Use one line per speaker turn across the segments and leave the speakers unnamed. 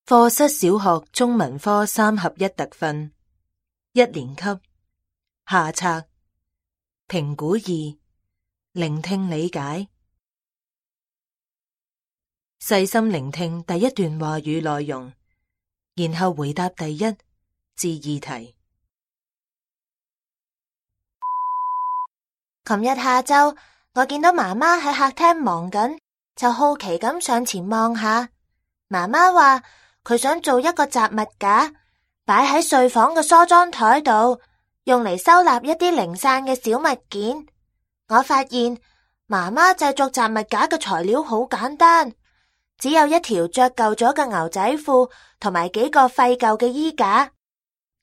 課室小學中文科3合1特訓1年級下冊評估2聆聽理解。細心聆聽第一段話語內容，然後回答第1至2題。
琴日下晝，我見到媽媽喺客廳忙緊，就好奇咁上前望下。媽媽話佢想做一個雜物架，擺喺睡房嘅梳妝台度，用嚟收納一啲零散嘅小物件。我發現媽媽製作雜物架嘅材料好簡單，只有一條着舊咗嘅牛仔褲同埋幾個廢舊嘅衣架。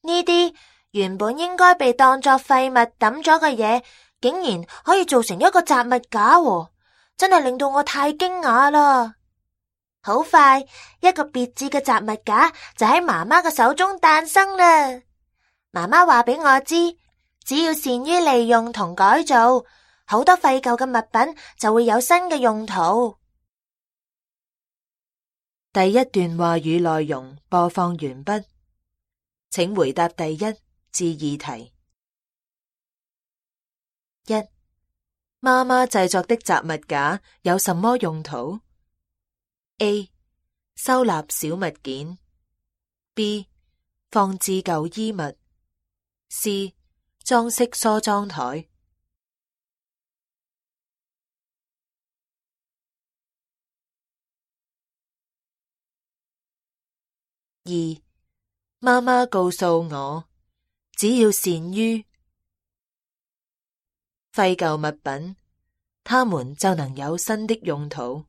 呢啲原本應該被當作廢物抌咗嘅嘢，竟然可以做成一個雜物架喎，真係令到我太驚訝啦！好快，一個別致嘅雜物架就喺媽媽嘅手中誕生啦。媽媽話俾我知，只要善於利用同改造，好多廢舊嘅物品就會有新嘅用途。
第一段話語內容播放完畢，請回答第1至2題。1. 媽媽製作的雜物架有什麼用途？ A. 收納小物件 B. 放置舊衣物 C. 裝飾梳妝台。2. 媽媽告訴我，只要善於廢舊物品，它們就能有新的用途。